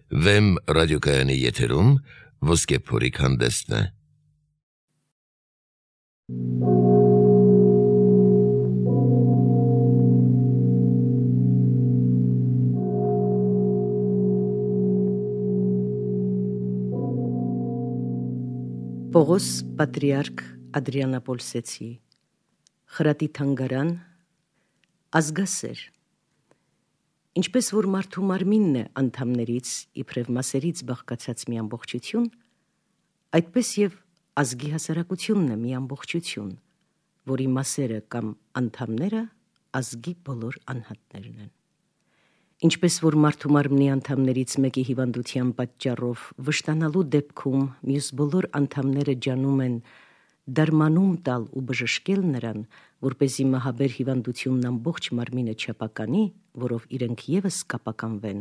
Վեմ ռադիոկայանի եթերում ոսկե փորիկ հանդեսն է։ Պողոս Պատրիարք Ադրիանապոլսեցի, խրատի թանգարան, ազգասեր։ Ինչպես որ մարդու մարմինն է անդամներից իբրև մասերից բաղկացած մի ամբողջություն, այդպես եւ ազգի հասարակությունն է մի ամբողջություն, որի մասերը կամ անդամները ազգի բոլոր անհատներն են։ Ինչպես որ մարդու մարմնի անդամներից մեկի հիվանդության պատճառով վշտանալու դեպքում մյուս բոլոր անդամները ջանում են դարմանում տալ ու բժշկել նրան, որպեսզի մահաբեր հիվանդությունն ամբողջ մարմինը չապականի, որով իրենք ևս կապականվեն,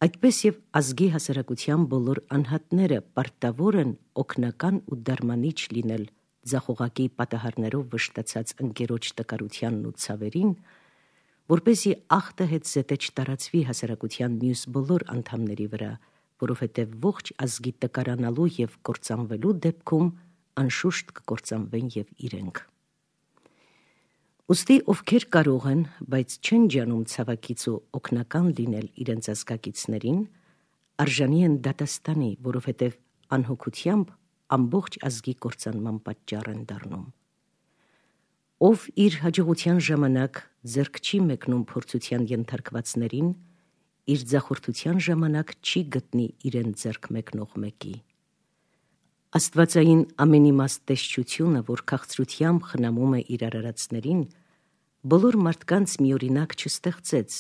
այդպես եւ ազգի հասարակության բոլոր անհատները պարտավոր են օգնական ու դարմանիչ լինել ձախողակի պատահարներով վշտացած ընկերոջ տկարությանն ու ցավերին, որպեսզի ախտը հետ զետե չտարածվի հասարակության մյուս բոլոր անդամների վրա, որովհետև ողջ ազգի տկարանալու եւ կործանվելու դեպքում անշուշտ կկործանվեն եւ իրենք։ Ուստի ովքեր կարող են, բայց չեն ջանում ցավակից ու օգնական լինել իրենց ազգակիցներին, արժանի են դատաստանի, որովհետև անհոգությամբ ամբողջ ազգի կործանման պատճառ են դառնում։ Ով իր հաջողության ժամանակ ձեռք չի մեկնում փորձության ենթարկվածներին, իր ձախորդության ժամանակ չի գտնի իրեն ձեռք մեկնող մեկի։ Աստվածային ամենիմաստ տեսչությունը, որ քաղցրությամբ խնամում է իր արարածներին, բոլոր մարդկանց միօրինակ չստեղծեց,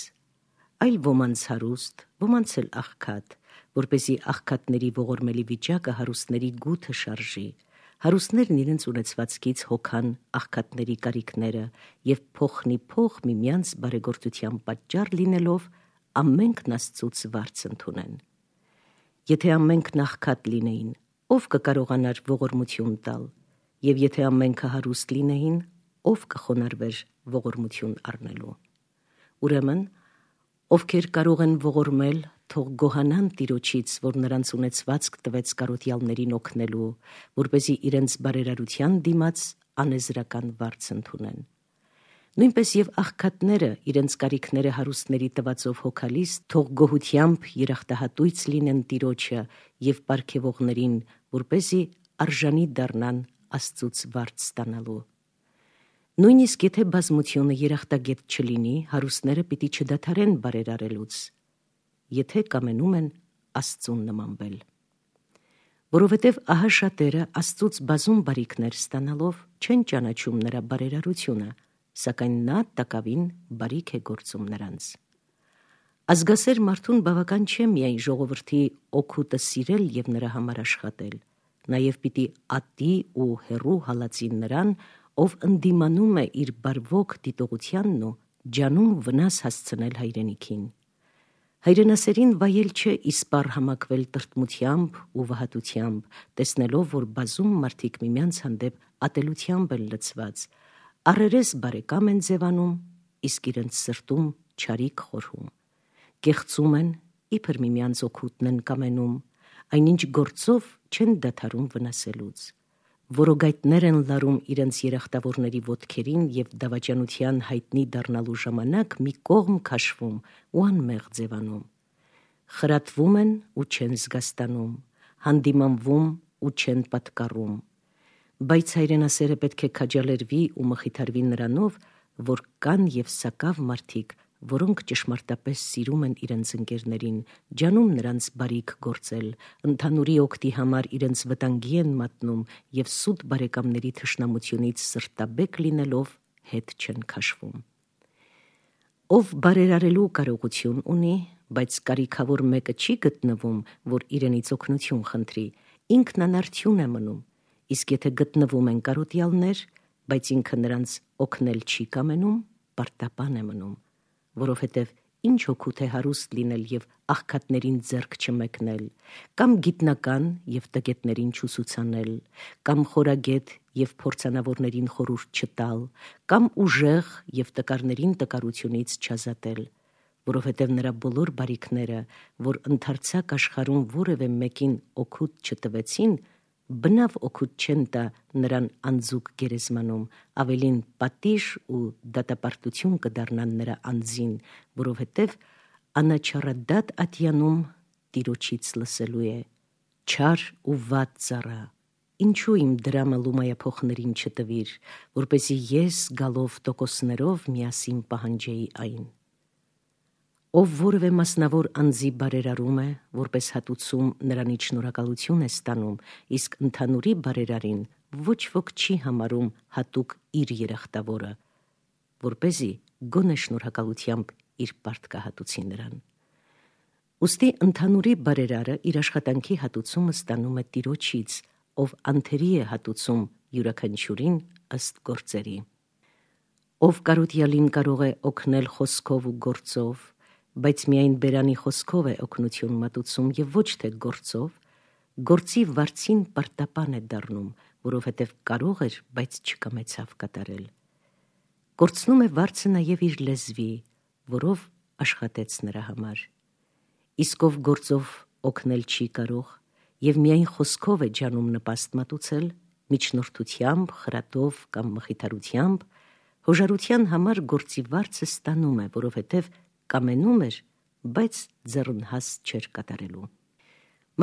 այլ ոմանց հարուստ, ոմանց էլ աղքատ, որպեսզի աղքատների ողորմելի վիճակը հարուստների գութը շարժի, հարուստներն իրենց ունեցվածքից հոգան աղքատների կարիքները եւ փոխնի փոխ միմյանց բարեգործության պատճառ լինելով ամենքն Աստծուց վարձ ընդունեն։ Եթե ամենքն աղքատ լինեին, ով կկարողանար ողորմություն տալ, եւ եթե ամենքը հարուստ լինեին, ով կխոնարհվեր ողորմություն առնելու։ Ուրեմն, ովքեր կարող են ողորմել, թող գոհանան Տիրոջից, որ նրանց ունեցվածք տվեց կարոտյալներին օգնելու, որպեսզի իրենց բարերարության դիմաց անեզրական վարձ ընդունեն։ Նույնպես եւ աղքատները իրենց կարիքները հարուստների տվածով հոգալիս, թող գոհությամբ երախտահատույց լինեն Տիրոջը եւ պարգևողներին, որպեսզի արժանի դառնան Աստծուց վարձ ստանալու։ Նույնիսկ եթե բազմությունը երախտագետ չլինի, հարուստները պիտի չդադարեն բարերարելուց, եթե կամենում են Աստծուն նմանվել։ Որովհետև ահա շատերը Աստծուց բազում բարիքներ ստանալով չեն ճանաչում նրա բարերարությունը, սակայն նա տակավին բարիք է գործում նրանց։ Ազգասեր մարդուն բավական չէ միայն ժողովրդի օգուտը սիրել եւ նրա համար աշխատել, նաեւ պիտի ատի ու հեռու հալածին նրան, ով ընդդիմանում է իր բարվոք դիտողությանն ու ջանում վնաս հասցնել հայրենիքին։ Հայրենասերին վայել չէ իսպառ համակվել տրտմությամբ ու վհատությամբ, տեսնելով, որ բազում մարդիկ միմյանց հանդեպ ատելությամբ են լցված, առերես բարեկամ են ձևանում, իսկ իրենց սրտում չարիք խորհում, կեղծում են, իբր միմյանց օգուտն են կամենում, այնինչ գործով չեն դադարում վնասելուց, որոգայթներ են լարում իրենց երախտավորների ոտքերին եւ դավաճանության հայտնի դառնալու ժամանակ մի կողմ քաշվում ու անմեղ ձևանում, խրատվում են ու չեն զգաստանում, հանդիմանվում ու չեն պատկառում, բայց հայրենասերը պետք է քաջալերվի ու մխիթարվի նրանով, որ կան եւ սակավ մարդիկ, որոնք ճշմարտապես սիրում են իրենց ընկերներին, ջանում նրանց բարիք գործել, ընդհանուրի օգտի համար իրենց վտանգի են մատնում եւ սուտ բարեկամների թշնամությունից սրտաբեկ լինելով հետ չեն քաշվում։ Ով բարերարելու կարողություն ունի, բայց կարիքավոր մեկը չի գտնվում, որ իրենից օգնություն խնդրի, ինքն անարդյուն է մնում, իսկ եթե գտնվում են կարոտյալներ, բայց ինքը նրանց օգնել չի կամենում, պարտապան է մնում, որովհետև ինչ օգուտ է հարուստ լինել եւ աղքատներին ձեռք չմեկնել, կամ գիտնական եւ տգետներին չուսուցանել, կամ խորագետ եւ փորձանավորներին խորհուրդ չտալ, կամ ուժեղ եւ տկարներին տկարությունից չազատել, որովհետև նրա բոլոր բարիքները, որ ընդարձակ աշխարհում որևէ մեկին օգուտ չտվեցին, բնավ օգուտ չեն տա նրան անձուկ գերեզմանում, ավելին պատիժ ու դատապարտություն կդառնան նրա անձին, որովհետև անաչառադատ ատյանում Տիրոջից լսելու է. չար ու վատ ծառա, ինչու իմ դրամը լումայափոխներին չտվիր, որպեսզի ես գալով տոկոսներով միասին պահանջեի այն։ Ով որևէ մասնավոր անձի բարերարում է, որպես հատուցում նրանից շնորհակալություն է ստանում, իսկ ընդհանուրի բարերարին ոչ ոք չի համարում հատուկ իր երախտավորը, որպեսզի գոնե շնորհակալությամբ իր պարտքահատուցի նրան։ Ուստի ընդհանուրի բարերարը իր աշխատանքի հատուցումը ստանում է Տիրոջից, ով անթերի է հատուցում յուրաքանչյուրին ըստ գործերի։ Ով կարոտյալին կարող է օգնել խոսքով ու գործով, բայց միայն բերանի խոսքով է օգնություն մատուցում եւ ոչ թե գործով, գործի վարձին պարտապան է դառնում, որովհետև կարող էր, բայց չկամեցավ կատարել։ Կորցնում է վարձը նաեւ իր լեզվի, որով աշխատեց նրա համար։ Իսկ ով գործով օգնել չի կարող եւ միայն խոսքով է ջանում նպաստ մատուցել, միջնորդությամբ, խրատով կամ մխիթարությամբ, հոժարության համար գործի վարձը ստանում է, որովհետև կամենում էր, բայց ձեռնհաս չէր կատարելու։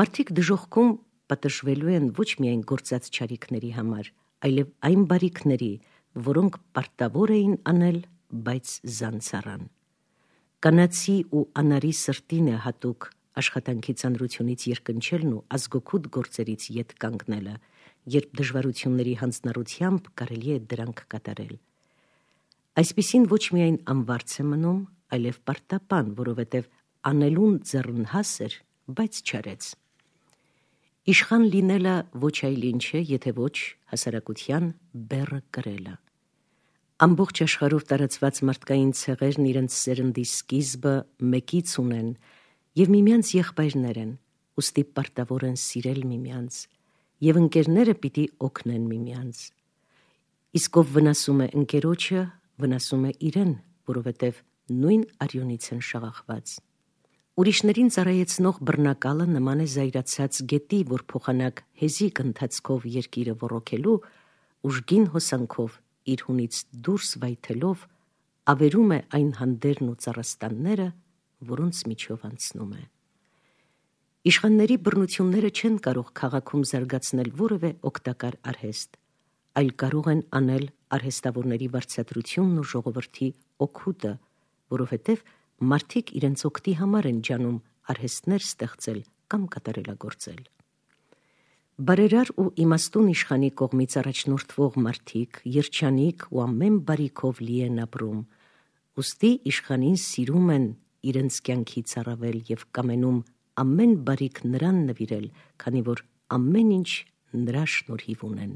Մարդիկ դժոխքում պատժվելու են ոչ միայն գործած չարիքների համար, այլև այն բարիքների, որոնք պարտավոր էին անել, բայց զանցառան։ Կանացի ու անարի սրտին է հատուկ աշխատանքի ծանրությունից երկնչելն ու ազգոքուտ գործերից ետ կանգնելը, երբ դժվարությունների հանձնառությամբ կարելի է դրանք կատարել։ Այսպիսին ոչ միայն անվարձ է մնում, այլև պարտապան, որովհետև անելուն ձեռնհաս էր, բայց չարեց։ Իշխան լինելը ոչ այլ ինչ է, եթե ոչ հասարակության բեռը կրելը։ Ամբողջ աշխարհով տարածված մարդկային ցեղերն իրենց սերնդի սկիզբը մեկից ունեն եւ միմյանց եղբայրներ են, ուստի պարտավոր են սիրել միմյանց, եւ ընկերները պիտի օգնեն միմյանց։ Իսկ ով վնասում է ընկերոջը, վնասում է իրեն, որովհետև նույն արյունից են շաղախված։ Ուրիշներին ծառայեցնող բռնակալը նման է զայրացած գետի, որ փոխանակ հեզիկ ընթացքով երկիրը ոռոգելու, ուժգին հոսանքով իր հունից դուրս վայթելով ավերում է այն հանդերն ու ծառաստանները, որոնց միջով անցնում է։ Իշխանների բռնությունները չեն կարող քաղաքում զարգացնել որևէ օգտակար արհեստ, այլ կարող են անել արհեստավորների վարձատրությունն ու ժողովրդի օգուտը, որովհետև մարդիկ իրենց օգտի համար են ջանում արհեստներ ստեղծել կամ կատարելագործել։ Բարերար ու իմաստուն իշխանի կողմից առաջնորդվող մարդիկ երջանիկ ու ամեն բարիքով լի են ապրում, ուստի իշխանին սիրում են իրենց կյանքից առավել եւ կամենում ամեն բարիք նրան նվիրել, քանի որ ամեն ինչ նրա շնորհիվ ունեն։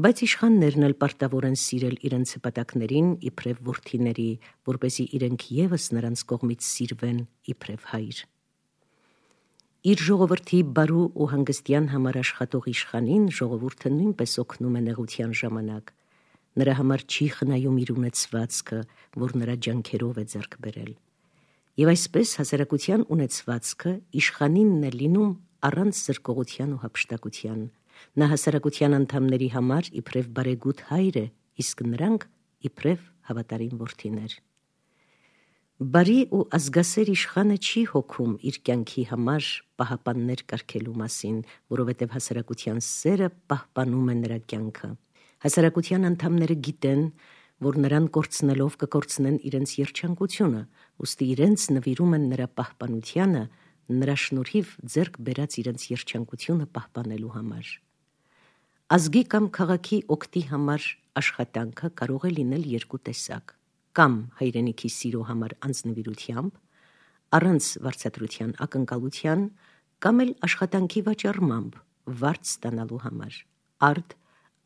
Բայց իշխաններն էլ պարտավոր են սիրել իրենց հպատակներին իբրև որդիների, որպեսզի իրենք եւս նրանց կողմից սիրվեն իբրև հայր։ Իր ժողովրդի բարու ու հանգստյան համար աշխատող իշխանին ժողովուրդը նույնպես օգնում է նեղության ժամանակ։ Նրա համար չի խնայում իր ունեցվածքը, որ նրա ջանքերով է ձեռք բերել։ Եվ այսպես հասարակության ունեցվածքը իշխանինն է լինում առանց զրկողության ու հափշտակության։ Նա հասարակության անդամների համար իբրև բարեգութ հայր է, իսկ նրանք իբրև հավատարիմ որդիներ։ Բարի ու ազգասեր իշխանը չի հոգում իր կյանքի համար պահապաններ կարգելու մասին, որովհետև հասարակության սերը պահպանում է նրա կյանքը։ Հասարակության անդամները գիտեն, որ նրան կորցնելով կկորցնեն իրենց երջանկությունը, ուստի իրենց նվիրում են նրա պահպանությանը, նրա շնորհիվ ձեռք բերած իրենց երջանկությունը պահպանելու համար։ Ազգի կամ քաղաքի օգտի համար աշխատանքը կարող է լինել երկու տեսակ. կամ հայրենիքի սիրո համար անձնվիրությամբ, առանց վարձատրության ակնկալության, կամ էլ աշխատանքի վաճառմամբ վարձ ստանալու համար։ Արդ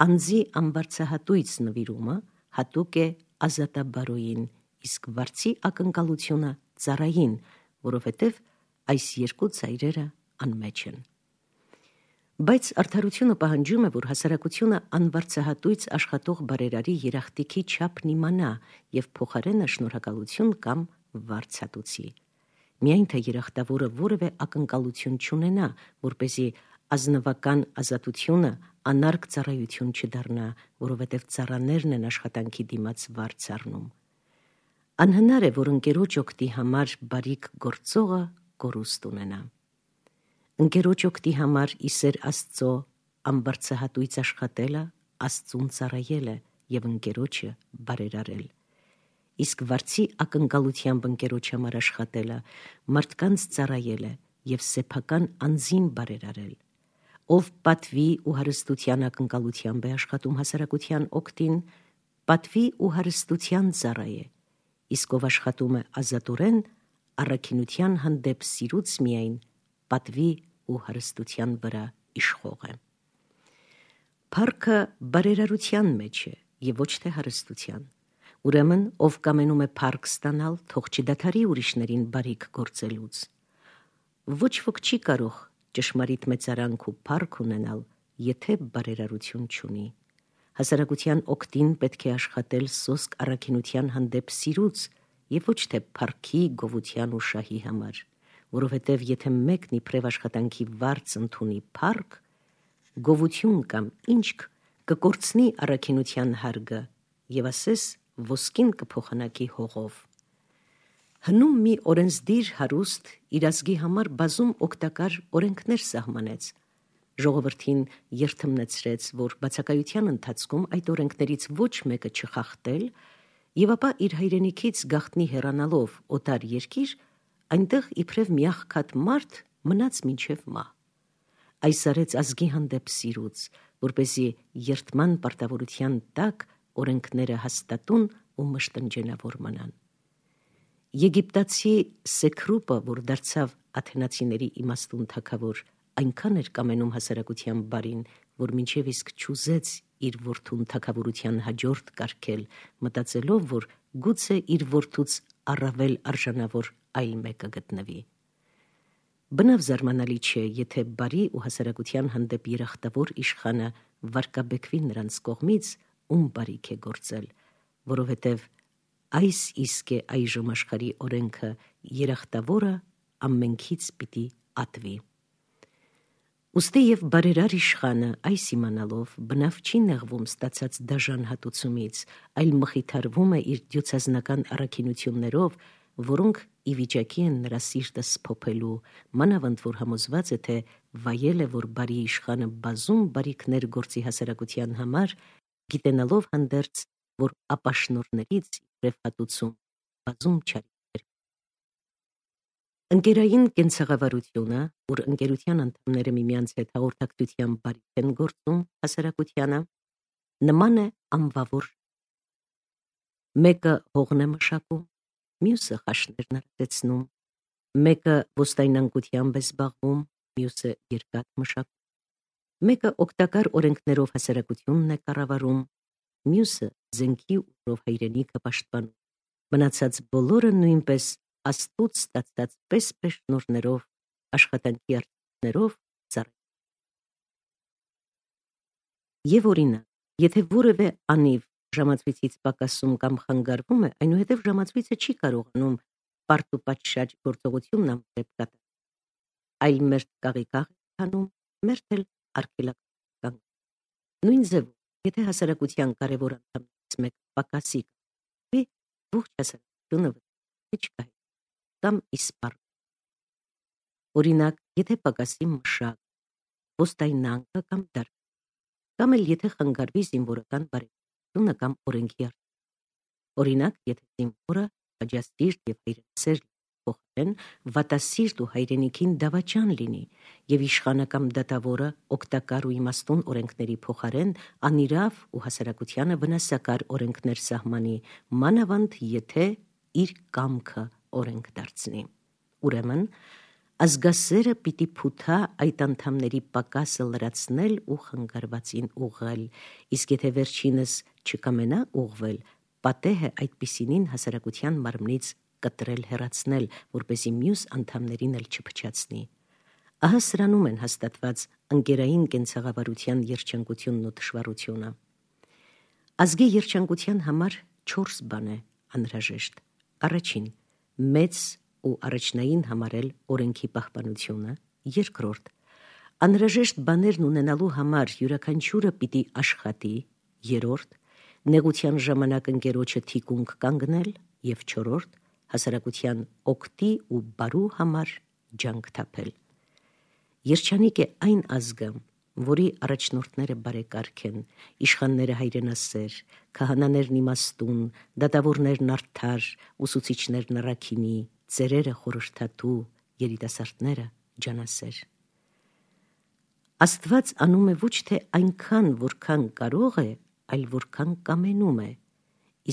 անձի անվարձահատույց նվիրումը հատուկ է ազատաբարոյին, իսկ վարձի ակնկալությունը ծառային, որովհետև այս երկու ծայրերը անմեջ են։ Բայց արդարությունը պահանջում է, որ հասարակությունը անվարձահատույց աշխատող բարերարի երախտիքի չափն իմանա եւ փոխարենը շնորհակալություն կամ վարձատուցի։ Միայն թե երախտավորը որևէ ակնկալություն չունենա, որպեսզի ազնվական ազատությունը անարգ ծառայություն չդառնա, որովհետև ծառաներն են աշխատանքի դիմաց վարձ առնում։ Անհնար է, որ ընկերոջ օգտի համար բարիք գործողը կորուստ ունենա։ Ընկերոջ օգտի համար իսեր Աստծո ամբարձահատույց աշխատելը Աստծուն ծառայել է եւ ընկերոջը բարերարել։ Իսկ վարձի ակնկալությամբ ընկերոջ համար աշխատելը մարդկանց ծառայել է եւ սեփական անձին բարերարել։ Ով պատվի ու հարստության ակնկալությամբ է աշխատում հասարակության օգտին, պատվի ու հարստության ծառայ է, իսկ ով աշխատում է ազատորեն, առաքինության հանդեպ սիրուց միայն պատվի ու հարստության վրա իշխող է։ Փառքը բարերարության մեջ է եւ ոչ թե հարստության։ Ուրեմն, ով կամենում է փառք ստանալ, թող չդադարի ուրիշներին բարիք գործելուց։ Ոչ ոք չի կարող ճշմարիտ մեծարանք ու փառք ունենալ, եթե բարերարություն չունի։ Հասարակության օգտին պետք է աշխատել սոսկ առաքինության հանդեպ սիրուց եւ ոչ թե փառքի, գովության ու շահի համար, որովհետեւ եթե մեկն իբրև աշխատանքի վարձ ընդունի փառք, գովություն կամ ինչք կկորցնի առաքինության հարգը եւ ասես ոսկին կփոխանակի հողով։ Հնում մի օրենսդիր հարուստ իր ազգի համար բազում օգտակար օրենքներ սահմանեց, ժողովրդին երթմնեցրեց, որ բացակայության ընթացքում այդ օրենքներից ոչ մեկը չխախտել եւ ապա իր հայրենիքից գաղտնի հեռանալով օտար երկիր, այնտեղ իբրև մի աղքատ մարդ մնաց մինչև մահ։ Այս արեց ազգի հանդեպ սիրուց, որպեսզի երթման պարտավորության տակ օրենքները հաստատուն ու մշտնջենավոր մնան։ Եգիպտացի Սեքրուպը, որ դարձավ աթենացիների իմաստուն թագավոր, այնքան էր կամենում հասարակության բարին, որ մինչև իսկ չուզեց իր որդուն թագավորության հաջորդ կարգել, մտածելով, որ գուցե իր որդուց առավել արժանավոր այլ մեկը գտնվի։ Բնավ զարմանալի չէ, եթե բարի ու հասարակության հանդեպ երախտավոր իշխանը վարկաբեկվի նրանց կողմից, ում բարիք է գործել, որովհետև այս իսկ է այժմ աշխարհի օրենքը, երախտավորը ամենքից պիտի ատվի։ Ուստի եւ բարերար իշխանը այս իմանալով բնավ չի նեղվում ստացած դաժան հատուցումից, այլ մխիթարվում է իր դյուցազնական առաքինություններով, որոնք ի վիճակի են նրա սիրտը սփոփելու, մանավանդ որ համոզված է, թե վայել է, որ բարի իշխանը բազում բարիքներ գործի հասարակության համար, գիտենալով հանդերձ, որ ապաշնորներից իբրև հատուցում բազում չարիքներ։ Ընկերային կենցաղավարությունը, որ ընկերության անդամները միմյանց հետ հաղորդակցությամբ բարիք են գործում հասարակությանը, նման է անվավոր։ Մեկը հողն է մշակում, մյուսը խաշներն արածեցնում, մեկը ոստայնանկությամբ է զբաղվում, մյուսը երկաթ մշակում, մեկը օգտակար օրենքներով հասարակությունն է կառավարում, մյուսը զենքի ուժով հայրենիքը պաշտպանում, մնացած բոլորը նույնպես Աստծուց ստացած պես շնորհներով, աշխատանքի արդյունքներով ծառայում։ Եվ օրինակ, եթե որևէ անիվ ժամացույցից պակասում կամ խանգարվում է, այնուհետև ժամացույցը չի կարողանում պարտ ու պատշաճ գործողությունն ամբողջ կատարել, այլ մերթ կաղի-կաղ է քանում, մերթ էլ արգելականգ։ Նույն ձևով, եթե հասարակության կարևոր անդամներից մեկը պակասի, ողջ հասարակությունը վտանգի կամ իսպառ։ Օրինակ, եթե պակասի մշակ, ոստայնանկը կամ դարբին, կամ էլ եթե խանգարվի զինվորական բարեկամությունը կամ օրենքի արդյունքը։ Օրինակ, եթե զինվորը աջասիրտ եւ հայրենասեր փոխարեն վատասիրտ ու հայրենիքին դավաճան լինի, եւ իշխանը կամ դատավորը օգտակար ու իմաստուն օրենքների փոխարեն անիրավ ու հասարակությանը վնասակար օրենքներ սահմանի, մանավանդ եթե իր կամքը օրենք դարձնի։ Ուրեմն, ազգասերը պիտի փութա այդ անդամների պակասը լրացնել ու խանգարվածին ուղղել, իսկ եթե վերջինս չկամենա ուղղվել, պատեհ է այդպիսինին հասարակության մարմնից կտրել հեռացնել, որպեսզի մյուս անդամներին էլ չփչացնի։ Ահա սրանում են հաստատված ընկերային կենցաղավարության երջանկությունն ու թշվառությունը։ Ազգի երջանկության համար 4 բան է անհրաժեշտ։ Առաջին, մեծ ու առաջնային համարել օրենքի պահպանությունը, երկրորդ, անհրաժեշտ բաներն ունենալու համար յուրաքանչյուրը պիտի աշխատի, երրորդ, նեղության ժամանակ ընկերոջը թիկունք կանգնել և չորրորդ, հասարակության օգտի ու բարու համար ջանք թափել։ Երջանիկ է այն ազգը, որի առաջնորդները բարեկարգ են, իշխանները հայրենասեր, քահանաներն իմաստուն, դատավորներն արդար, ուսուցիչներն առաքինի, ծերերը խորհրդատու, երիտասարդները ջանասեր։ Աստված անում է ոչ թե այնքան, որքան կարող է, այլ որքան կամենում է,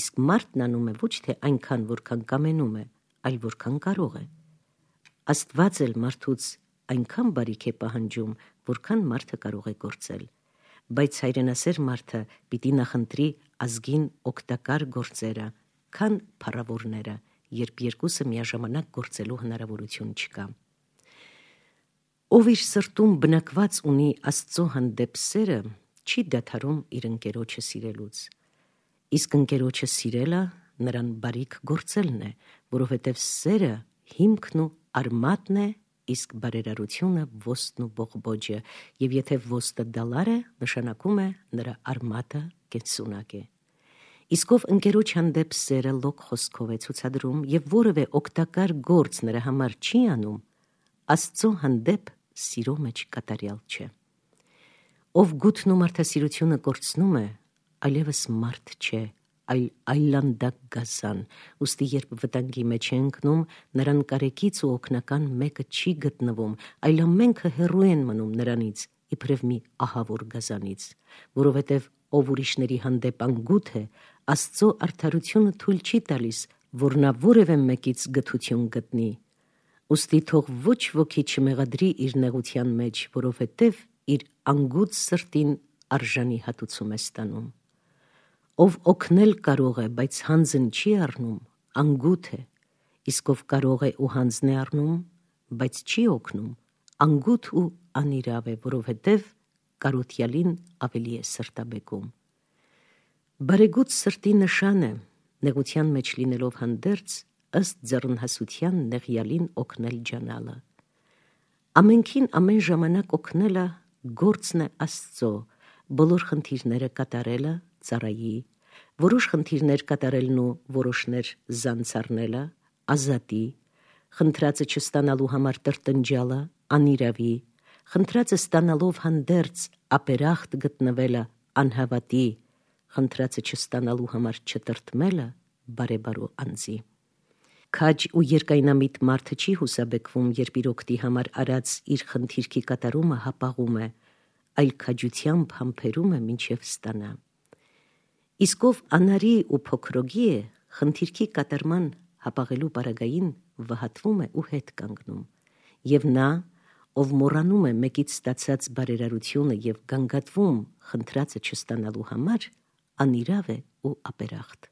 իսկ մարդն անում է ոչ թե այնքան, որքան կամենում է, այլ որքան կարող է։ Աստված էլ մարդուց այնքան բարիք է պահանջում, որքան մարդը կարող է գործել, բայց հայրենասեր մարդը պիտի նախընտրի ազգին օգտակար գործերը, քան փառավորները, երբ երկուսը միաժամանակ գործելու հնարավորություն չկա։ Ով իր սրտում բնակված ունի Աստծո հանդեպ սերը, չի դադարում իր ընկերոջը սիրելուց, իսկ ընկերոջը սիրելը նրան բարիք գործելն է, որովհետև սերը հիմքն ու արմատն է, իսկ բարերարությունը ոստն ու բողբոջը, և եթե ոստը դալար է, նշանակում է նրա արմատը կենսունակ է։ Իսկ ով ընկերոջ հանդեպ սերը լոկ խոսքով է ցուցադրում և որևէ օգտակար գործ նրա համար չի անում, Աստծո հանդեպ սիրո մեջ կատարյալ չէ։ Ով գութն ու մարդասիրությունը կորցնում է, այլևս մարդ չէ, այլ այլանդակ գազան, ուստի երբ վտանգի մեջ է ընկնում, նրան կարեկից ու օգնական մեկը չի գտնվում, այլ ամենքը հեռու են մնում նրանից, իբրև մի ահավոր գազանից, որովհետև ով ուրիշների հանդեպ անգութ է, Աստծո արդարությունը թույլ չի տալիս, որ նա որևէ մեկից գթություն գտնի, ուստի թող ոչ ոքի չմեղադրի իր նեղության մեջ, որովհետև իր անգութ սրտին արժանի հատուցում է ստանում։ Ով օգնել կարող է, բայց հանձն չի առնում, անգութ է, իսկ ով կարող է ու հանձն է առնում, բայց չի օգնում, անգութ ու անիրավ է, որովհետև կարոթյալին ավելի է սրտաբեկում։ Բարեգութ սրտի նշան է, նեղության մեջ լինելով հանդերձ, ըստ ձեռնհասության նեղյալին օգնել ջանալը։ Ամենքին ամեն ժամանակ օգնելը գործն է Աստծո, բոլոր խնդիրները կատարելը ծառայի, որոշ խնդիրներ կատարելն ու որոշներ զանց առնելը ազատի, խնդրածը չստանալու համար տրտնջալը անիրավի, խնդրածը ստանալով հանդերձ ապերախտ գտնվելը անհավատի, խնդրածը չստանալու համար չտրտմելը բարեբարու անձի։ Քաջ ու երկայնամիտ մարդը չի հուսաբեկվում, երբ իր օգտի համար արած իր խնդիրքի կատարումը հապաղում է, այլ քաջությամբ համբերում է մինչև ստանա։ Իսկ ով անարի ու փոքրոգի է, խնդիրքի կատարման հապաղելու պարագային վհատվում է ու հետ կանգնում, և նա, ով մոռանում է մեկից ստացած բարերարությունը և գանգատվում խնդրածը չստանալու համար, անիրավ է ու ապերախտ։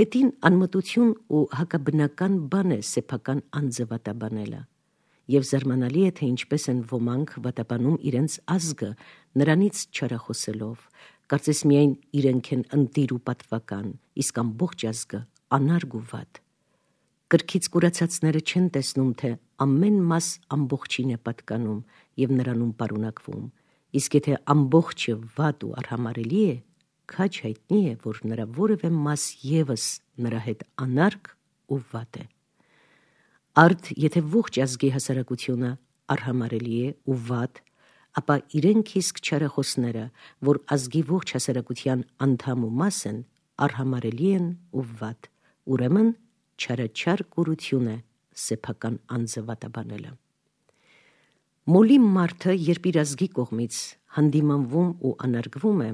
Հետին անմտություն ու հակաբնական բան է սեփական անձը վատաբանելը, և զարմանալի է, թե ինչպես են ոմանք վատաբանում իրենց ազգը, նրանից չարախոսելով, կարծես միայն իրենք են ընտիր ու պատվական, իսկ ամբողջ ազգը անարգ ու վատ։ Կրքից կուրացածները չեն տեսնում, թե ամեն մաս ամբողջին է պատկանում և նրանում պարունակվում, իսկ եթե ամբողջը վատ ու արհամարհելի է, քաջ հայտնի է, որ նրա որևէ մաս ևս նրա հետ անարգ ու վատ է։ Արդ եթե ողջ ազգի հասարակությունը արհամարհելի է ու վատ, ապա իրենք իսկ չարախոսները, որ ազգի ողջ հասարակության անդամ ու մաս են, արհամարհելի են ու վատ, ուրեմն չարաչար կուրություն է սեփական անձը վատաբանելը։ Մոլի մարդը, երբ իր ազգի կողմից հանդիմանվում ու անարգվում է,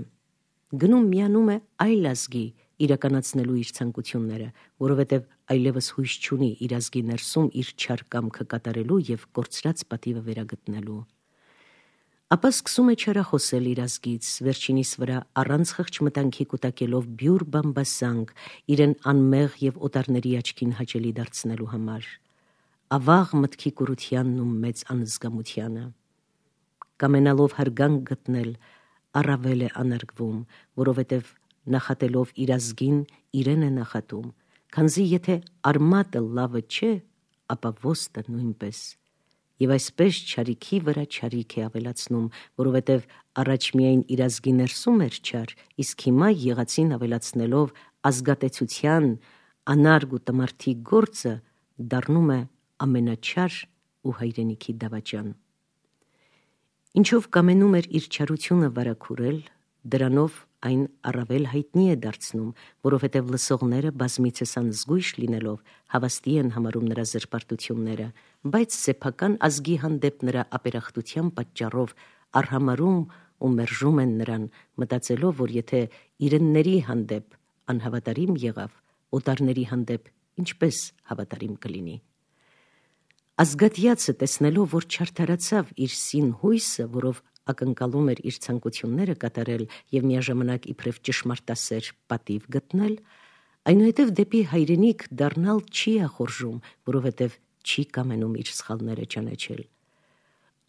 գնում միանում է այլ ազգի իրականացնելու իր ցանկությունները, որովհետև այլևս հույս չունի իր ազգի ներսում իր չար կամքը կատարելու և կորցրած պատիվը վերագտնելու։ Ապա սկսում է չարախոսել իր ազգից, վերջինիս վրա առանց խղճմտանքի կուտակելով բյուր բամբասանք, իրեն անմեղ և օտարների աչքին հաճելի դարձնելու համար, ավաղ մտքի կուրությանն ու մեծ անզգամությանը։ Կամենալով հարգանք գտնել, առավել է անարգվում, որովհետև նախատելով իր ազգին, իրեն է նախատում, քանզի եթե արմատը լավը չէ, ապա ոստը նույնպես։ Եվ այսպես չարիքի վրա չարիք է ավելացնում, որովհետև առաջ միայն իր ազգի ներսում էր չար, իսկ հիմա եղածին ավելացնելով ազգատեցության, անարգ ու տմարդի գործը դառնում է ամենաչար ու հայրենիքի դավաճան։ Ինչով կամենում էր իր չարությունը վարակուրել, դրանով այն առավել հայտնի է դարձնում, որովհետև լսողները բազմիցս անզգույշ լինելով հավաստի են համարում նրա զրպարտությունները, բայց սեփական ազգի հանդեպ նրա ապերախտության պատճառով արհամարում ու մերժում են նրան, մտածելով, որ եթե իրենների հանդեպ անհավատարիմ եղավ, օտարների հանդեպ ինչպես հավատարիմ կլինի։ Ազգատյացը տեսնելով, որ չարդարացավ իր սին հույսը, որով ակնկալում էր իր ցանկությունները կատարել և միաժամանակ իբրև ճշմարտասեր պատիվ գտնել, այնուհետև դեպի հայրենիք դառնալ չի ախորժում, որովհետև չի կամենում իր սխալները ճանաչել։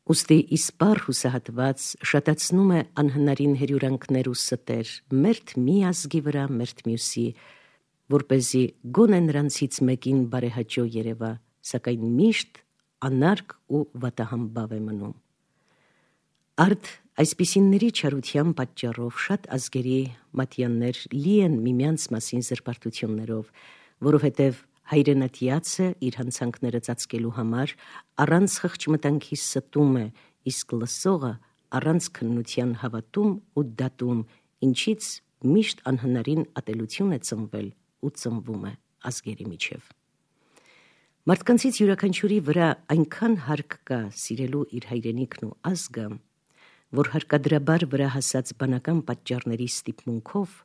Ուստի իսպառ հուսահատված շատացնում է անհնարին հերյուրանքներ ու ստեր, մերթ մի ազգի վրա, մերթ մյուսի, որպեսզի գոնե նրանցից մեկին բարեհաճո երևա, սակայն միշտ անարգ ու վատահամբավ է մնում։ Արդ այսպիսինների չարության պատճառով շատ ազգերի մատյաններ լի են միմյանց մասին զրպարտություններով, որովհետև հայրենատյացը իր հանցանքները ծածկելու համար առանց խղճմտանքի ստում է, իսկ լսողը առանց քննության հավատում ու դատում, ինչից միշտ անհնարին ատելություն է ծնվել ու ծնվում է ազգերի միջև։ Մարդկանցից յուրաքանչյուրի վրա այնքան հարկ կա սիրելու իր հայրենիքն ու ազգը, որ հարկադրաբար վրա հասած բանական պատճառների ստիպմունքով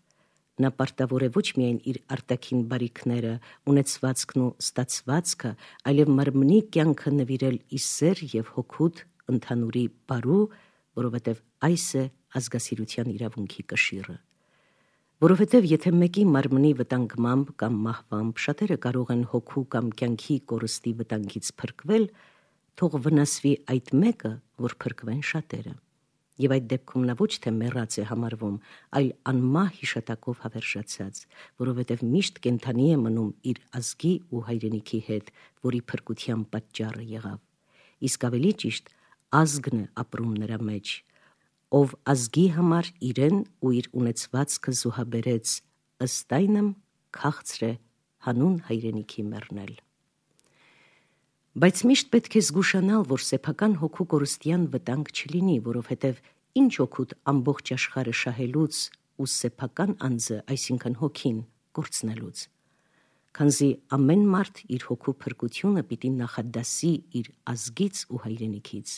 նա պարտավոր է ոչ միայն իր արտաքին բարիքները, ունեցվածքն ու ստացվածքը, այլև մարմնի կյանքը նվիրել ի սեր և հոգուտ ընդհանուրի բարու, որովհետև այս է ազգասիրության իրավունքի կշիռը։ Որովհետև եթե մեկի մարմնի վտանգմամբ կամ մահվամբ շատերը կարող են հոգու կամ կյանքի կորստի վտանգից փրկվել, թող վնասվի այդ մեկը, որ փրկվեն շատերը։ Եվ այդ դեպքում նա ոչ թե մեռած է համարվում, այլ անմահ հիշատակով հավերժացած, որովհետև միշտ կենդանի է մնում իր ազգի ու հայրենիքի հետ, որի փրկության պատճառը եղավ։ Իսկ ավելի ճիշտ, ազգն է ապրում նրա մեջ, ով ազգի համար իրեն ու իր ունեցվածքը զոհաբերեց, ըստ այնմ քաղցր է հանուն հայրենիքի մեռնել։ Բայց միշտ պետք է զգուշանալ, որ սեփական հոգու կորստյան վտանգ չլինի, որովհետև ինչ օգուտ ամբողջ աշխարհը շահելուց ու սեփական անձը, այսինքն հոգին, կորցնելուց, քանզի ամեն մարդ իր հոգու փրկությունը պիտի նախադասի իր ազգից ու հայրենիքից։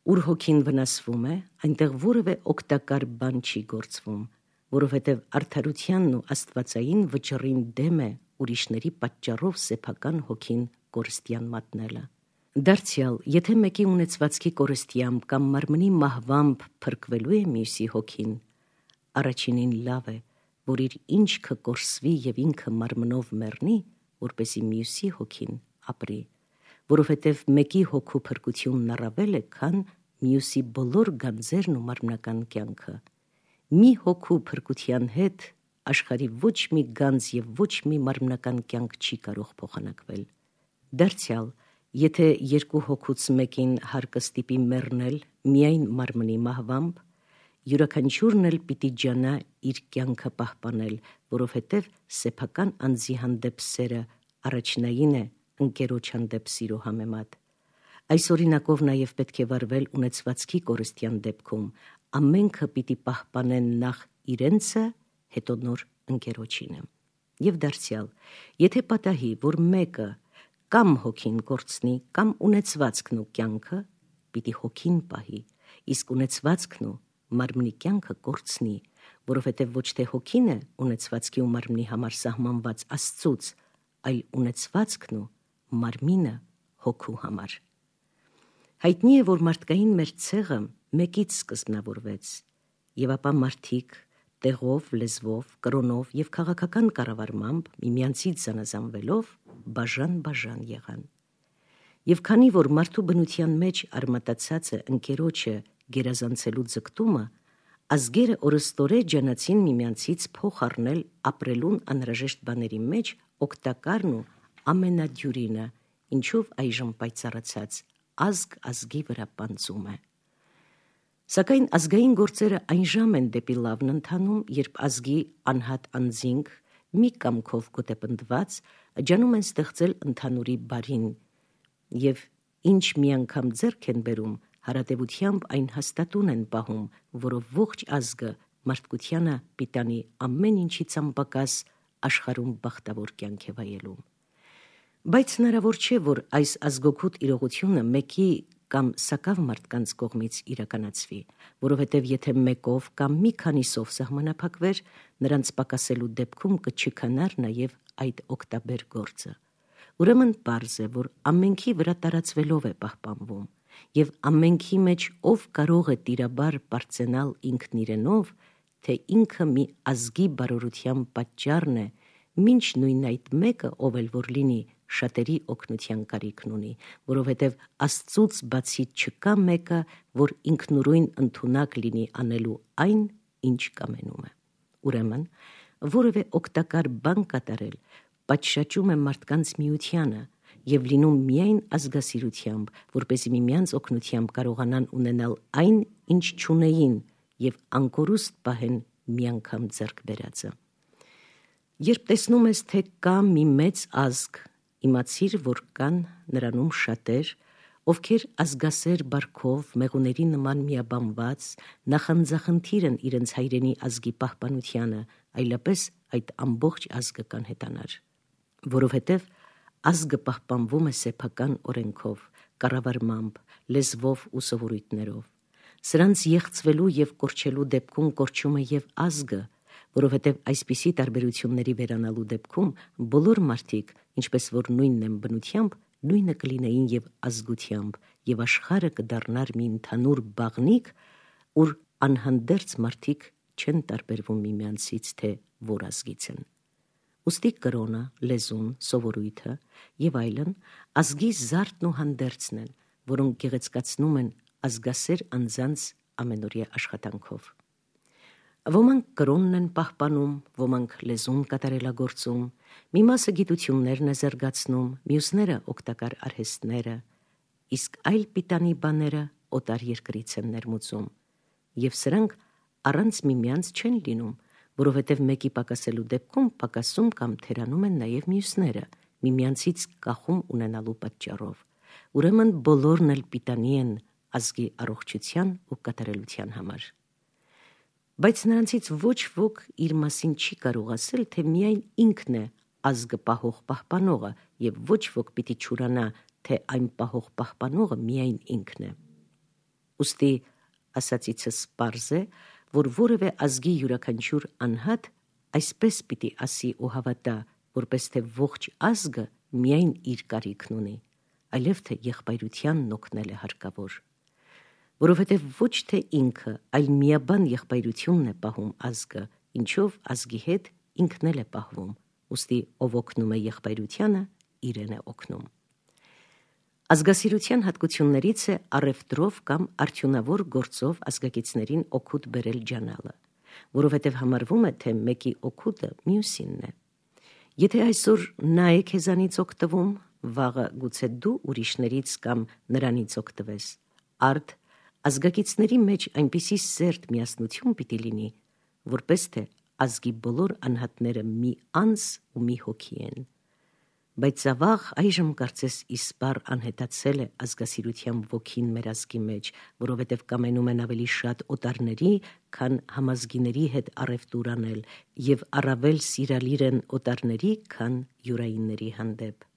Ուր հոգին վնասվում է, այնտեղ որևէ օգտակար բան չի գործվում, որովհետև արդարությանն ու աստվածային վճռին դեմ է ուրիշների պատճառով սեփական հոգին կորստյան մատնելը։ Դարձյալ, եթե մեկի ունեցվածքի կորստյամբ կամ մարմնի մահվամբ փրկվելու է մյուսի հոգին, առաջինին լավ է, որ իր ինչքը կորսվի և ինքը մարմնով մեռնի, որպեսզի մյուսի հոգին ապրի, որովհետև մեկի հոգու փրկությունն առավել է, քան մյուսի բոլոր գանձերն ու մարմնական կյանքը։ Մի հոգու փրկության հետ աշխարհի ոչ մի գանձ և ոչ մի մարմնական կյանք չի կարող փոխանակվել։ Դարձյալ, եթե երկու հոգուց մեկին հարկը ստիպի մեռնել միայն մարմնի մահվամբ, յուրաքանչյուրն էլ պիտի ջանա իր կյանքը պահպանել, որովհետև սեփական անձի հանդեպ սերը առաջնային է ընկերոջ հանդեպ սիրո համեմատ։ Այս օրինակով նաև պետք է վարվել ունեցվածքի կորստյան դեպքում, ամենքը պիտի պահպանեն նախ իրենցը, հետո նոր ընկերոջինը։ Եվ դարձյալ, եթե պատահի, որ մեկը կամ հոգին կորցնի, կամ ունեցվածքն ու կյանքը, պիտի հոգին պահի, իսկ ունեցվածքն ու մարմնի կյանքը կորցնի, որովհետև ոչ թե հոգին է ունեցվածքի ու մարմնի համար սահմանված Աստծուց, այլ ունեցվածքն ու մարմինը հոգու համար։ Հայտնի է, որ մարդկային մեր ցեղը մեկից սկզբնավորվեց, եւ ապա մարդիկ տեղով, լեզվով, կրոնով եւ քաղաքական կառավարմամբ միմյանցից զանազանվելով բաժան եղան։ Եվ քանի որ մարդու բնության մեջ արմատացած է ընկերոջը գերազանցելու ձգտումը, ազգերը օրըստորե ջանացին միմյանցից փոխ առնել ապրելուն անհրաժեշտ բաների մեջ օգտակարն ու ամենադյուրինը, ինչով այժմ պայծառացած ազգ ազգի վրա պանծում է։ Սակայն ազգային գործերը այն ժամ են դեպի լավն ընթանում, երբ ազգի անհատ անձինք մի կամքով գոտեպնդված ջանում են ստեղծել ընդհանուրի բարին և ինչ մի անգամ ձեռք են բերում, հարատևությամբ այն հաստատուն են պահում, որով ողջ ազգը մարդկությանը պիտանի ամեն ինչից անպակաս աշխարհում բախտավոր կյանք է վայելում։ Բայց հնարավոր չէ, որ այս ազգօգուտ իրողությունը մեկի կամ սակավ մարդկանց կողմից իրականացվի, որովհետև եթե մեկով կամ մի քանիսով սահմանափակվեր, նրանց պակասելու դեպքում կչքանար նաև այդ օգտաբեր գործը։ Ուրեմն պարզ է, որ ամենքի վրա տարածվելով է պահպանվում, և ամենքի մեջ ով կարող է տիրաբար պարծենալ ինքն իրենով, թե ինքը մի ազգի բարօրության պատճառն է, մինչ նույն այդ մեկը, ով էլ որ լինի, շատերի օգնության կարիքն ունի, որովհետև Աստծուց բացի չկա մեկը, որ ինքնուրույն ընդունակ լինի անելու այն, ինչ կամենում է։ Ուրեմն, որևէ օգտակար բան կատարել պատշաճում է մարդկանց միությանը և լինում միայն ազգասիրությամբ, որպեսզի միմյանց օգնությամբ կարողանան ունենալ այն, ինչ չունեին, և անկորուստ պահեն միանգամ ձեռք բերածը։ Երբ տեսնում ես, թե կա մի մեծ ազգ, իմացիր, որ կան նրանում շատեր, ովքեր ազգասեր բարքով մեղուների նման միաբանված նախանձախնդիր են իրենց հայրենի ազգի պահպանությանը, այլապես այդ ամբողջ ազգը կանհետանար, որովհետև ազգը պահպանվում է սեփական օրենքով, կառավարմամբ, լեզվով ու սովորույթներով։ Սրանց եղծվելու և կորչելու դեպքում կորչում է և ազգը, որովհետև այսպիսի տարբերությունների վերանալու դեպքում բոլոր մարդիկ, ինչպես որ նույնն են բնությամբ, նույնը կլինեին և ազգությամբ, և աշխարհը կդառնար մի ընդհանուր բաղնիք, ուր անհանդերձ մարդիկ չեն տարբերվում միմյանցից, թե որ ազգից են։ Ուստի կրոնը, լեզուն, սովորույթը և այլն ազգի զարդն ու հանդերձն են, որոնք գեղեցկացնում են ազգասեր անձանց ամենօրյա աշխատանքով։ Ոմանք կրոնն են պահպանում, ոմանք լեզուն կատարելագործում, մի մասը գիտություններն է զարգացնում, մյուսները օգտակար արհեստները, իսկ այլ պիտանի բաները օտար երկրից են ներմուծում, և սրանք առանց միմյանց չեն լինում, որովհետև մեկի պակասելու դեպքում պակասում կամ թերանում են նաև մյուսները, միմյանցից կախում ունենալու պատճառով։ Ուրեմն բոլորն էլ պիտանի են ազգի առողջության ու կատարելության համար։ Բայց նրանցից ոչ ոք իր մասին չի կարող ասել, թե միայն ինքն է ազգը պահող պահպանողը, և ոչ ոք պիտի չուրանա, թե այն պահող պահպանողը միայն ինքն է։ Ուստի ասածիցս պարզ է, որ որևէ ազգի յուրաքանչյուր անհատ այսպես պիտի ասի ու հավատա, որպես թե ողջ ազգը միայն իր կարիքն ունի, այլև թե եղբայրությանն օգնել է հարկավոր, որովհետև ոչ թե ինքը, այլ միաբան եղբայրությունն է պահում ազգը, ինչով ազգի հետ ինքն էլ է պահվում, ուստի ով օգնում է եղբայրությանը, իրեն է օգնում։ Ազգասիրության հատկություններից է առևտրով կամ արդյունավոր գործով ազգակիցներին օգուտ բերել ջանալը, որովհետև համարվում է, թե մեկի օգուտը մյուսինն է։ Եթե այսօր նա է քեզանից օգտվում, վաղը գուցե դու ուրիշներից կամ նրանից օգտվես, արդ ազգակիցների մեջ այնպիսի սերտ միասնություն պիտի լինի, որպես թե ազգի բոլոր անհատները մի անձ ու մի հոգի են։ Բայց ավաղ այժմ կարծես իսպառ անհետացել է ազգասիրության ոգին մեր ազգի մեջ, որովհետև կամենում են ավելի շատ օտարների, քան համազգիների հետ առևտուր անել, և առավել սիրալիր են օտարների, քան յուրայինների հանդեպ։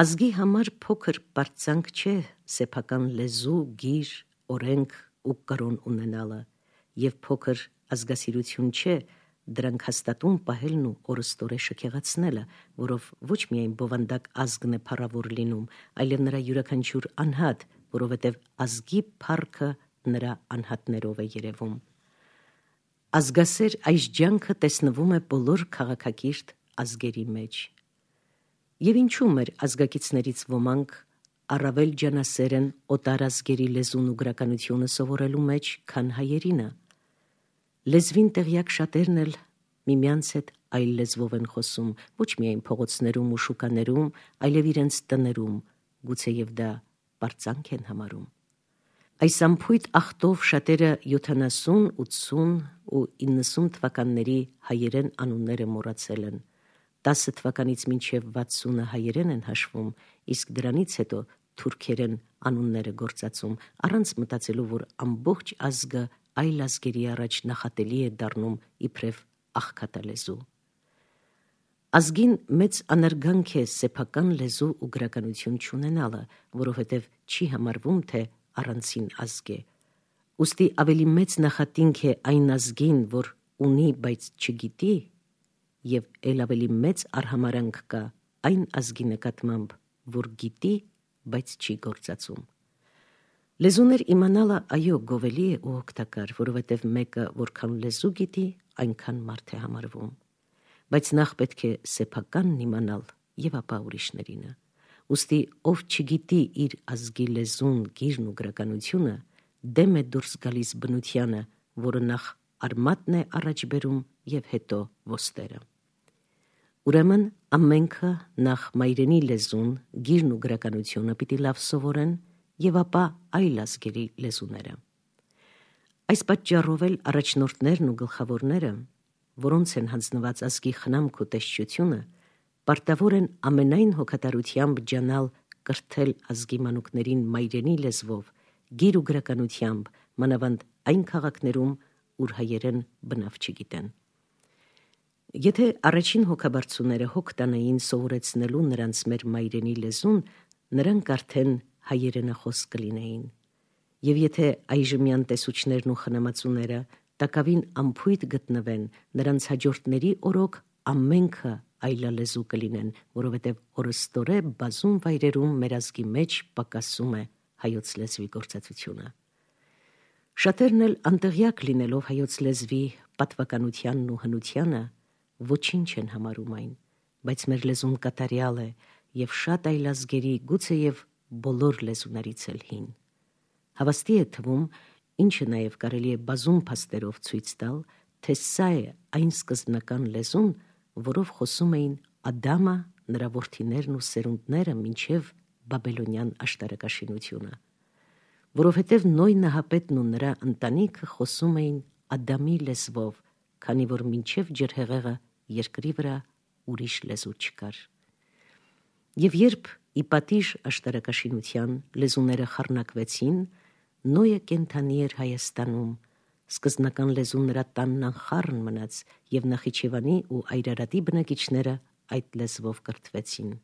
Ազգի համար փոքր պարծանք չէ սեփական լեզու, գիր, օրենք ու կրոն ունենալը, և փոքր ազգասիրություն չէ դրանք հաստատուն պահելն ու օրըստորե շքեղացնելը, որով ոչ միայն բովանդակ ազգն է փառավոր լինում, այլև նրա յուրաքանչյուր անհատ, որովհետև ազգի փառքը նրա անհատներով է երևում։ Ազգասեր այս ջանքը տեսնվում է բոլոր քաղաքակիրթ ազգերի մեջ։ Եվ ինչու մեր ազգակիցներից ոմանք առավել ջանասեր են օտար ազգերի լեզուն ու գրականությունը սովորելու մեջ, քան հայերինը։ Լեզվին տեղյակ շատերն էլ միմյանց հետ այլ լեզվով են խոսում, ոչ միայն փողոցներում ու շուկաներում, այլև իրենց տներում, գուցեև դա պարծանք են համարում։ Այս ամփույթ ախտով շատերը 70, 80 ու 90 թվականների հայերեն անունները մոռացել են, 10 թվականից մինչև 60-ը հայերեն են հաշվում, իսկ դրանից հետո թուրքերեն անունները գործածում, առանց մտածելու, որ ամբողջ ազգը այլ ազգերի առաջ նախատելի է դառնում իբրև աղքատալեզու։ Ազգին մեծ անարգանք է սեփական լեզու ու գրականություն չունենալը, որովհետև չի համարվում, թե առանցին ազգ է։ Ուստի ավելի մեծ նախատինք է այն ազգին, որ ունի, բայց չգիտի, եւ ել ավելի մեծ արհամարանք կա այն ազգի նկատմամբ, որ գիտի, բայց չի գործածում։ Լեզուներ իմանալը այո գովելի է ու օգտակար, որովհետև մեկը որքան լեզու գիտի, այնքան մարդ է համարվում։ Բայց նախ պետք է սեփականն իմանալ եւ ապա ուրիշներինը։ Ուստի ով չգիտի իր ազգի լեզուն, գիրն ու գրականությունը, դեմ է դուրս գալիս բնությանը, որը նախ արմատն է առաջ բերում եւ հետո ոստերը։ Ուրեմն ամենքը նախ մայրենի լեզուն, գիրն ու գրականությունը պիտի լավ սովորեն եւ ապա այլ ազգերի լեզուները։ Այս պատճառով էլ առաջնորդներն ու գլխավորները, որոնց են հանձնված ազգի խնամք ու տեսչությունը, պարտավոր են ամենայն հոգատարությամբ ջանալ կրթել ազգի մանուկներին մայրենի լեզվով, գիր ու գրականությամբ, մանավանդ այն քաղաքներում, ուր հայերեն բնավ չգիտեն։ Եթե առաջին հոգաբարձուները հոգ տանեին սովորեցնելու նրանց մեր մայրենի լեզուն, նրանք արդեն հայերենախոս կլինեին։ Եվ եթե այժմյան տեսուչներն ու խնամածուները տակավին ամփույթ գտնվեն, նրանց հաջորդների օրոք ամենքը այլալեզու կլինեն, որովհետև օրըստորե բազում վայրերում մեր ազգի մեջ պակասում է հայոց լեզվի գործածությունը։ Շատերն էլ անտեղյակ լինելով հայոց լեզվի պատվականությանն ու հնությանը, ոչինչ են համարում այն, բայց մեր լեզուն կատարյալ է եւ շատ այլ ազգերի, գուցեև բոլոր լեզուներից էլ հին։ Հավաստի է թվում, ինչը նաև կարելի է բազում փաստերով ցույց տալ, թե սա է այն սկզբնական լեզուն, որով խոսում էին Ադամը, նրա որդիներն ու սերունդները մինչև բաբելոնյան աշտարակաշինությունը, որովհետև Նոյ նահապետն ու նրա ընտանիքը խոսում էին Ադամի լեզվով, քանի որ մինչև ջրհեղեղը երկրի վրա ուրիշ լեզու չկար։ Եվ երբ ի պատիժ աշտարակաշինության լեզուները խառնակվեցին, Նոյը կենդանի էր Հայաստանում, սկզբնական լեզուն նրա տանն անխառն մնաց եւ Նախիջևանի ու Այրարատի բնակիչները այդ լեզվով կրթվեցին։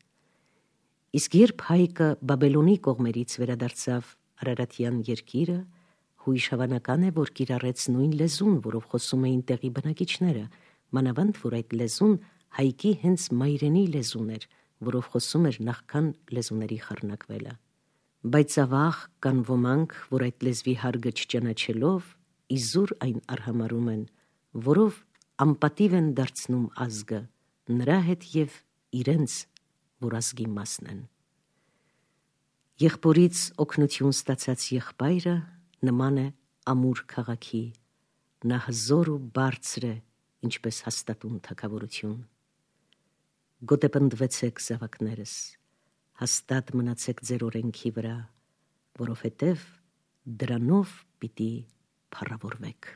Իսկ երբ Հայկը Բաբելոնի կողմերից վերադարձավ Արարատյան երկիրը, հույժ հավանական է, որ կիրառեց նույն լեզուն, որով խոսում էին տեղի բնակիչները, մանավանդ որ այդ լեզուն Հայկի հենց մայրենի լեզուն էր, որով խոսում էր նախքան լեզուների խառնակվելը։ Բայց ավաղ կան ոմանք, որ այդ լեզվի հարգը չճանաչելով, իզուր այն արհամարում են, որով անպատիվ են դարձնում ազգը, նրա հետ եւ իրենց, որ ազգի մասն են։ Եղբորից օգնություն ստացած եղբայրը նման է ամուր քաղաքի, նա հզոր ու բարձր է, ինչպես հաստատուն թագավորություն։ Գոտեպնդվեցեք զավակներս, հաստատ մնացեք ձեր օրենքի վրա, որովհետև դրանով պիտի փառավորվեք։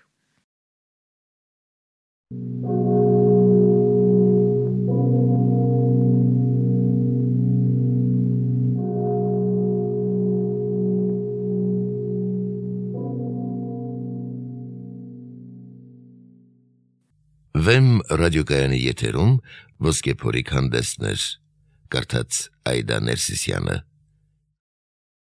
Վեմ ռադիոկայանի եթերում ոսկե փորիկ հանդեսներ, կարդաց Այդա Ներսիսյանը։